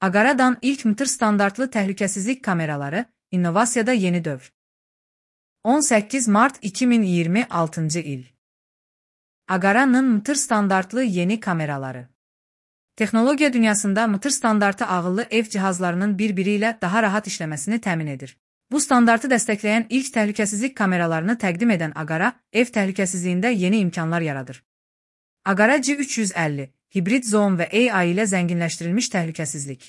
Agara'dan ilk MTR standartlı təhlükəsizlik kameraları, innovasiyada yeni dövr. 18 Mart 2026 il. Agara'nın MTR standartlı yeni kameraları. Texnologiya dünyasında MTR standartı ağıllı ev cihazlarının bir-biri ilə daha rahat işləməsini təmin edir. Bu standartı dəstəkləyən ilk təhlükəsizlik kameralarını təqdim edən Agara, ev təhlükəsizliyində yeni imkanlar yaradır. Agara G350, hibrid zoom və AI ilə zənginləşdirilmiş təhlükəsizlik.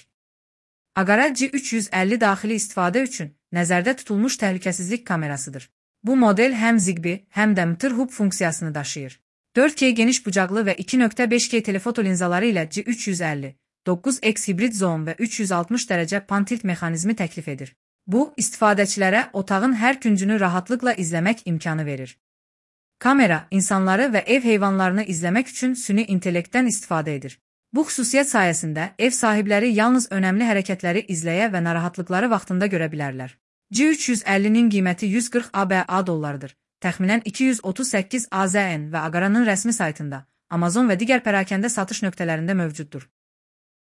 Agara G350 daxili istifadə üçün nəzərdə tutulmuş təhlükəsizlik kamerasıdır. Bu model həm Zigbee, həm də MTR Hub funksiyasını daşıyır. 4K geniş bucaqlı və 2.5K telefoto linzaları ilə G350, 9x hibrid zoom və 360 dərəcə pan-tilt mexanizmi təklif edir. Bu, istifadəçilərə otağın hər küncünü rahatlıqla izləmək imkanı verir. Kamera, insanları və ev heyvanlarını izləmək üçün süni intellektdən istifadə edir. Bu xüsusiyyət sayəsində ev sahibləri yalnız önəmli hərəkətləri izləyə və narahatlıqları vaxtında görə bilərlər. G350-nin qiyməti 140 ABA dollarıdır. Təxminən 238 AZN və Agara'nın rəsmi saytında, Amazon və digər pərakəndə satış nöqtələrində mövcuddur.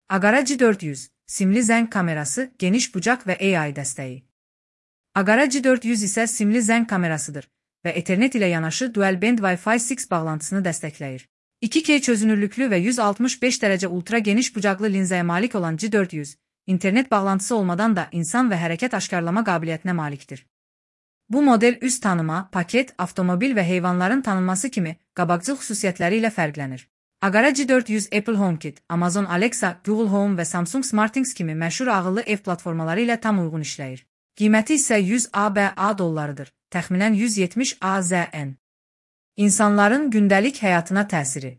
Agara G400, simli zəng kamerası, geniş bucaq və AI dəstəyi. Agara G400 isə simli zəng kamerasıdır və Ethernet ilə yanaşı dual band Wi-Fi 6 bağlantısını dəstəkləyir. 2K çözünürlüklü və 165 dərəcə ultra geniş bucaqlı linzaya malik olan G400, internet bağlantısı olmadan da insan və hərəkət aşkarlama qabiliyyətinə malikdir. Bu model üz tanıma, paket, avtomobil və heyvanların tanınması kimi qabaqcıl xüsusiyyətləri ilə fərqlənir. Agara G400 Apple HomeKit, Amazon Alexa, Google Home və Samsung SmartThings kimi məşhur ağıllı ev platformaları ilə tam uyğun işləyir. Qiyməti isə 100 ABA dollarıdır, təxminən 170 AZN. İnsanların gündəlik həyatına təsiri.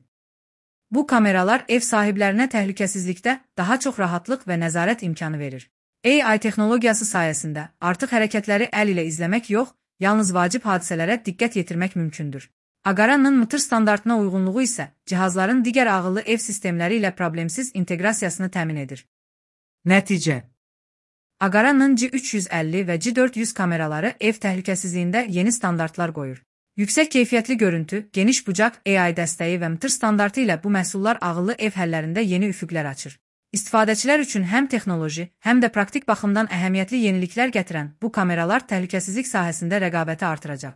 Bu kameralar ev sahiblərinə təhlükəsizlikdə daha çox rahatlıq və nəzarət imkanı verir. AI texnologiyası sayəsində artıq hərəkətləri əl ilə izləmək yox, yalnız vacib hadisələrə diqqət yetirmək mümkündür. Agara'nın MTR standartına uyğunluğu isə cihazların digər ağıllı ev sistemləri ilə problemsiz inteqrasiyasını təmin edir. Nəticə: Agara'nın G350 və G400 kameraları ev təhlükəsizliyində yeni standartlar qoyur. Yüksək keyfiyyətli görüntü, geniş bucaq, AI dəstəyi və MTR standartı ilə bu məhsullar ağıllı ev həllərində yeni üfüqlər açır. İstifadəçilər üçün həm texnoloji, həm də praktik baxımdan əhəmiyyətli yeniliklər gətirən bu kameralar təhlükəsizlik sahəsində rəqabəti artıracaq.